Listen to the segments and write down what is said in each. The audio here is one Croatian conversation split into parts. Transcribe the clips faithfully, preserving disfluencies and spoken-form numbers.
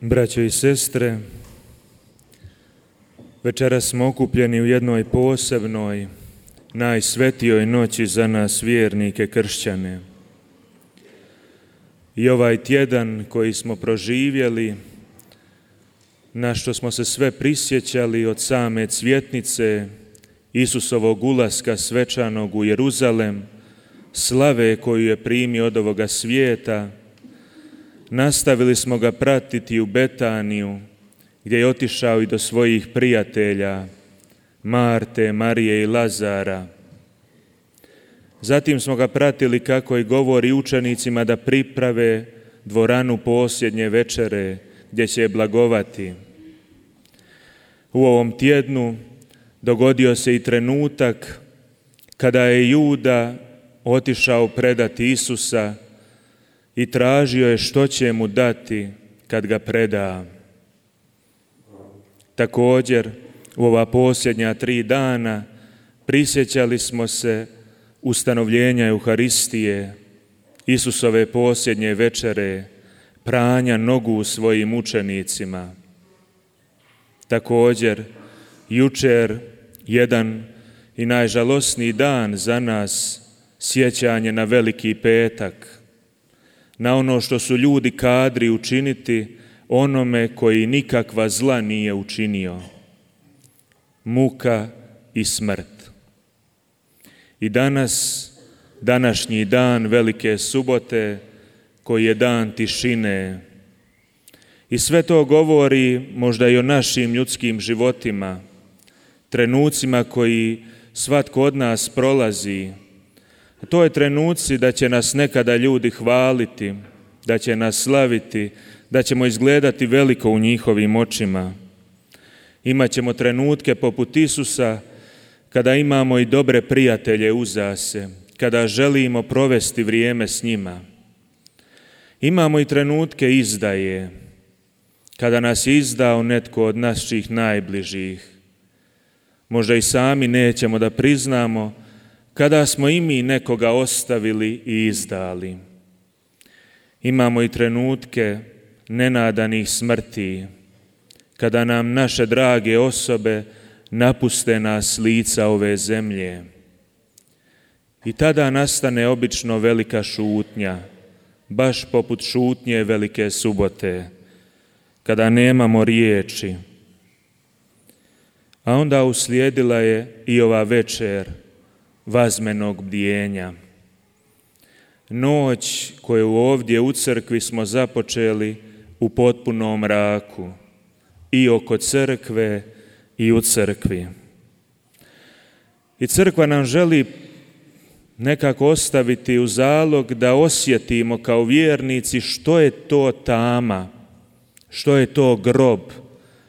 Braćo i sestre, večeras smo okupljeni u jednoj posebnoj, najsvetijoj noći za nas vjernike kršćane. I ovaj tjedan koji smo proživjeli, na što smo se sve prisjećali od same cvjetnice Isusovog ulaska svečanog u Jeruzalem, slave koju je primio od ovoga svijeta, nastavili smo ga pratiti u Betaniju, gdje je otišao i do svojih prijatelja, Marte, Marije i Lazara. Zatim smo ga pratili kako i govori učenicima da priprave dvoranu posljednje večere, gdje će je blagovati. U ovom tjednu dogodio se i trenutak kada je Juda otišao predati Isusa i tražio je što će mu dati kad ga preda. Također, u ova posljednja tri dana prisjećali smo se ustanovljenja Euharistije, Isusove posljednje večere, pranja nogu svojim učenicima. Također, jučer jedan i najžalosniji dan za nas, sjećanje na Veliki petak, na ono što su ljudi kadri učiniti onome koji nikakva zla nije učinio. Muka i smrt. I danas, današnji dan Velike subote, koji je dan tišine. I sve to govori možda i o našim ljudskim životima, trenucima koji svatko od nas prolazi. To je trenuci da će nas nekada ljudi hvaliti, da će nas slaviti, da ćemo izgledati veliko u njihovim očima. Imaćemo trenutke poput Isusa kada imamo i dobre prijatelje uza se, kada želimo provesti vrijeme s njima. Imamo i trenutke izdaje, kada nas je izdao netko od naših najbližih. Možda i sami nećemo da priznamo kada smo i mi nekoga ostavili i izdali. Imamo i trenutke nenadanih smrti, kada nam naše drage osobe napuste nas s lica ove zemlje. I tada nastane obično velika šutnja, baš poput šutnje Velike subote, kada nemamo riječi. A onda uslijedila je i ova večer vazmenog bdijenja. Noć koju ovdje u crkvi smo započeli u potpunom mraku, i oko crkve i u crkvi. I crkva nam želi nekako ostaviti u zalog da osjetimo kao vjernici što je to tama, što je to grob,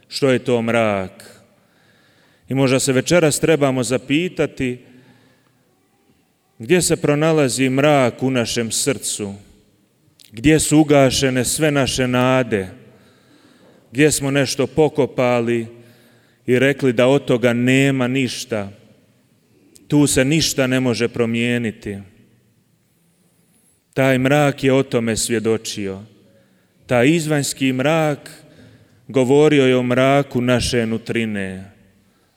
što je to mrak. I možda se večeras trebamo zapitati gdje se pronalazi mrak u našem srcu, gdje su ugašene sve naše nade, gdje smo nešto pokopali i rekli da od toga nema ništa, tu se ništa ne može promijeniti. Taj mrak je o tome svjedočio. Taj izvanjski mrak govorio je o mraku naše nutrine,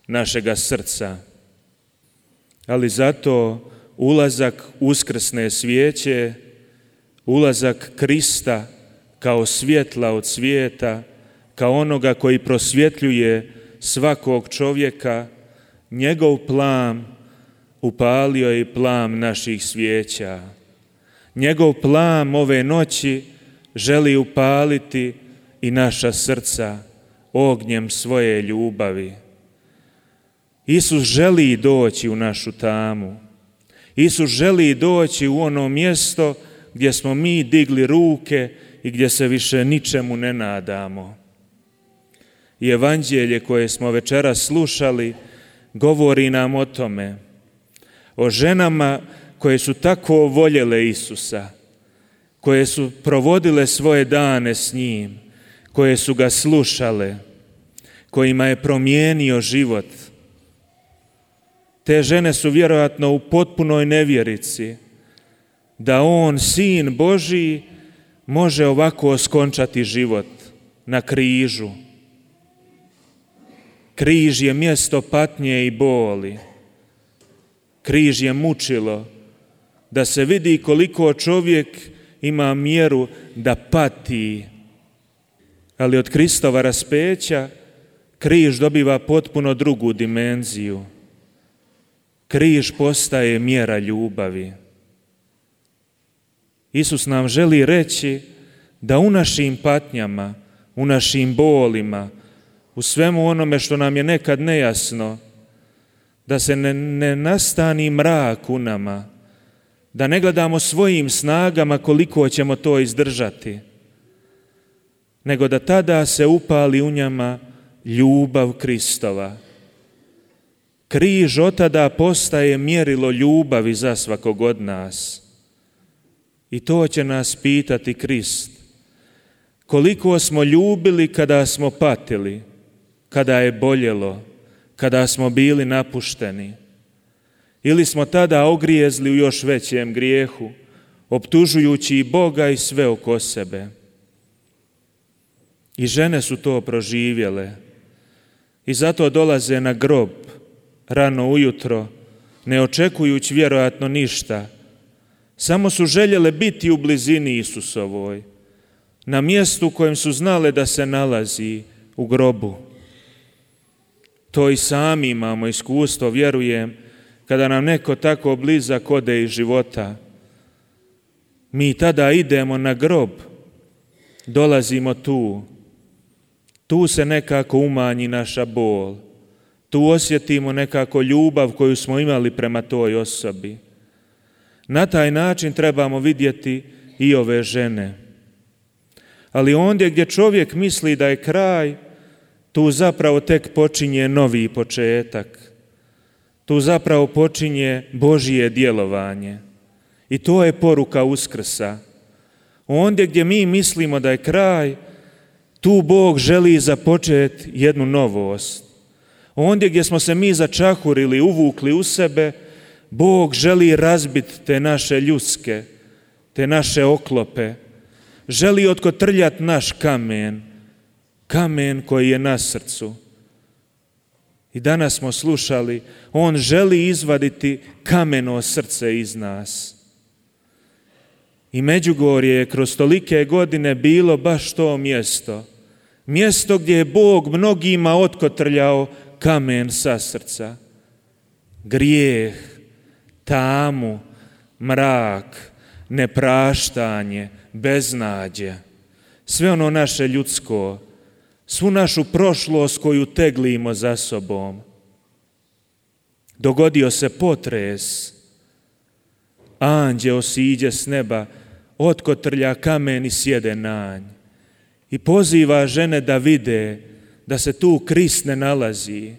našega srca. Ali zato ulazak uskrsne svijeće, ulazak Krista kao svjetla od svijeta, kao onoga koji prosvjetljuje svakog čovjeka, njegov plam upalio je i plam naših svijeća. Njegov plam ove noći želi upaliti i naša srca ognjem svoje ljubavi. Isus želi doći u našu tamu. Isus želi doći u ono mjesto gdje smo mi digli ruke i gdje se više ničemu ne nadamo. I evanđelje koje smo večeras slušali govori nam o tome, o ženama koje su tako voljele Isusa, koje su provodile svoje dane s njim, koje su ga slušale, kojima je promijenio život. Te žene su vjerojatno u potpunoj nevjerici da on, Sin Božji, može ovako oskončati život, na križu. Križ je mjesto patnje i boli. Križ je mučilo da se vidi koliko čovjek ima mjeru da pati. Ali od Kristova raspeća križ dobiva potpuno drugu dimenziju. Križ postaje mjera ljubavi. Isus nam želi reći da u našim patnjama, u našim bolima, u svemu onome što nam je nekad nejasno, da se ne, ne nastani mrak u nama, da ne gledamo svojim snagama koliko ćemo to izdržati, nego da tada se upali u njama ljubav Kristova. Križ od tada postaje mjerilo ljubavi za svakog od nas. I to će nas pitati Krist. Koliko smo ljubili kada smo patili, kada je boljelo, kada smo bili napušteni? Ili smo tada ogrijezli u još većem grijehu, optužujući i Boga i sve oko sebe? I žene su to proživjele. I zato dolaze na grob rano ujutro, ne očekujući vjerojatno ništa. Samo su željele biti u blizini Isusovoj, na mjestu u kojem su znale da se nalazi, u grobu. To i sami imamo iskustvo, vjerujem, kada nam neko tako blizak ode iz života. Mi tada idemo na grob, dolazimo tu. Tu se nekako umanji naša bol. Tu osjetimo nekako ljubav koju smo imali prema toj osobi. Na taj način trebamo vidjeti i ove žene. Ali ondje gdje čovjek misli da je kraj, tu zapravo tek počinje novi početak. Tu zapravo počinje Božje djelovanje. I to je poruka Uskrsa. Ondje gdje mi mislimo da je kraj, tu Bog želi započeti jednu novost. Ondje gdje smo se mi začahurili, uvukli u sebe, Bog želi razbiti te naše ljudske, te naše oklope. Želi otkotrljati naš kamen, kamen koji je na srcu. I danas smo slušali, on želi izvaditi kameno srce iz nas. I Međugorje je kroz tolike godine bilo baš to mjesto. Mjesto gdje je Bog mnogima otkotrljao kamen sa srca. Grijeh, tamu, mrak, nepraštanje, beznađe. Sve ono naše ljudsko, svu našu prošlost koju teglimo za sobom. Dogodio se potres. Anđeo siđe s neba, otkotrlja kamen i sjede na nj. I poziva žene da vide da se tu Krist ne nalazi.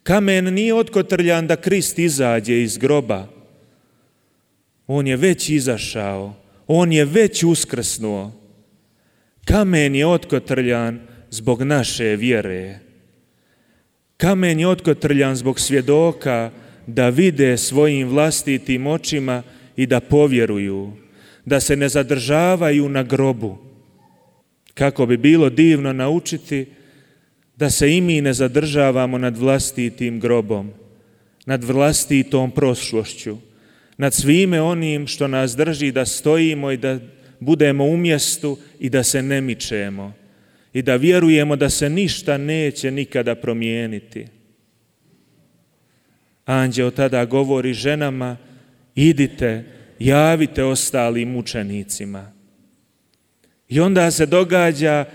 Kamen nije otkotrljan da Krist izađe iz groba. On je već izašao, on je već uskrsnuo. Kamen je otkotrljan zbog naše vjere. Kamen je otkotrljan zbog svjedoka da vide svojim vlastitim očima i da povjeruju, da se ne zadržavaju na grobu. Kako bi bilo divno naučiti da se i mi ne zadržavamo nad vlastitim grobom, nad vlastitom prošlošću, nad svime onim što nas drži da stojimo i da budemo u mjestu i da se ne mičemo i da vjerujemo da se ništa neće nikada promijeniti. Anđeo tada govori ženama, idite, javite ostalim mučenicima. I onda se događa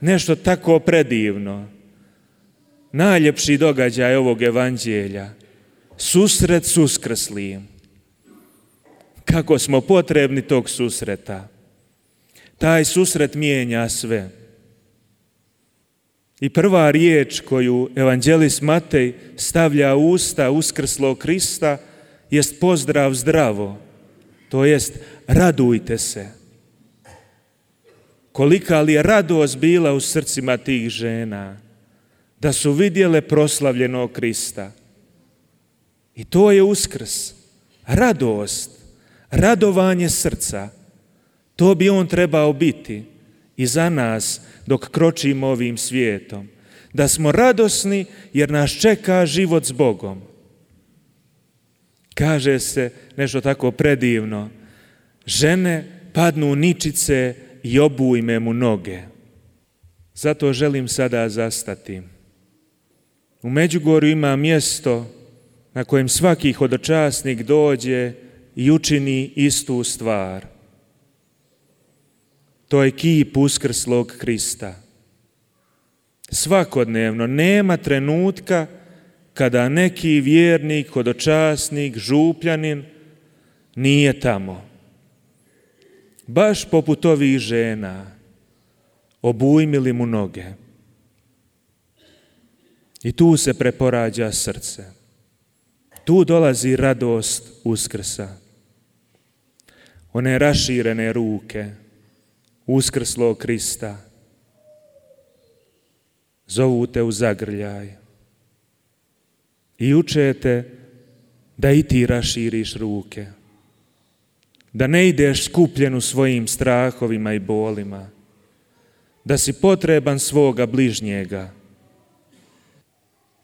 nešto tako predivno. Najljepši događaj ovog evanđelja. Susret s uskrslim. Kako smo potrebni tog susreta. Taj susret mijenja sve. I prva riječ koju evanđelist Matej stavlja u usta uskrslog Krista jest pozdrav zdravo, to jest radujte se. Kolika li je radost bila u srcima tih žena da su vidjele proslavljenog Krista. I to je uskrs, radost, radovanje srca. To bi on trebao biti i za nas dok kročimo ovim svijetom. Da smo radosni jer nas čeka život s Bogom. Kaže se nešto tako predivno. Žene padnu ničice i obujme mu noge. Zato želim sada zastati. U Međugorju ima mjesto na kojem svaki hodočasnik dođe i učini istu stvar. To je kip uskrslog Krista. Svakodnevno nema trenutka kada neki vjernik, hodočasnik, župljanin nije tamo. Baš poput ovih žena, obujmili mu noge. I tu se preporađa srce. Tu dolazi radost Uskrsa. One raširene ruke uskrslog Krista zovu te u zagrljaj i uče te da i ti raširiš ruke, da ne ideš skupljen u svojim strahovima i bolima, da si potreban svoga bližnjega.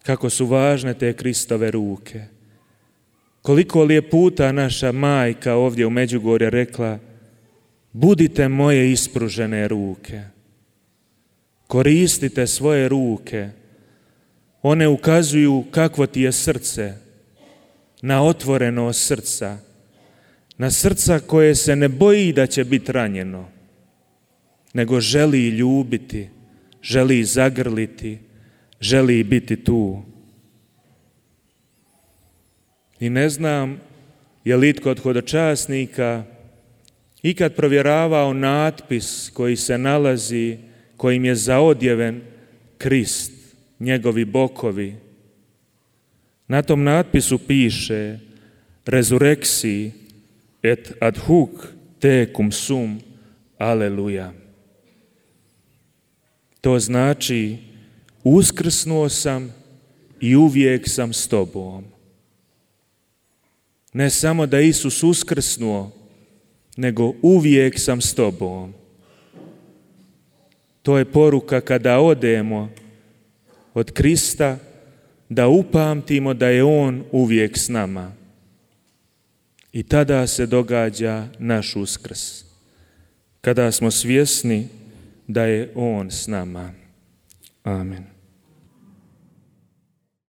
Kako su važne te Kristove ruke. Koliko li je puta naša majka ovdje u Međugorju rekla: budite moje ispružene ruke. Koristite svoje ruke. One ukazuju kakvo ti je srce, na otvorenost srca, na srca koje se ne boji da će biti ranjeno, nego želi ljubiti, želi zagrliti, želi biti tu. I ne znam je li itko od hodočasnika ikad provjeravao natpis koji se nalazi, kojim je zaodjeven Krist, njegovi bokovi. Na tom natpisu piše: Resurrexi et ad hoc tecum sum, aleluja. To znači: uskrsnuo sam i uvijek sam s tobom. Ne samo da Isus uskrsnuo, nego uvijek sam s tobom. To je poruka kada odemo od Krista, da upamtimo da je On uvijek s nama. I tada se događa naš uskrs, kada smo svjesni da je On s nama. Amen.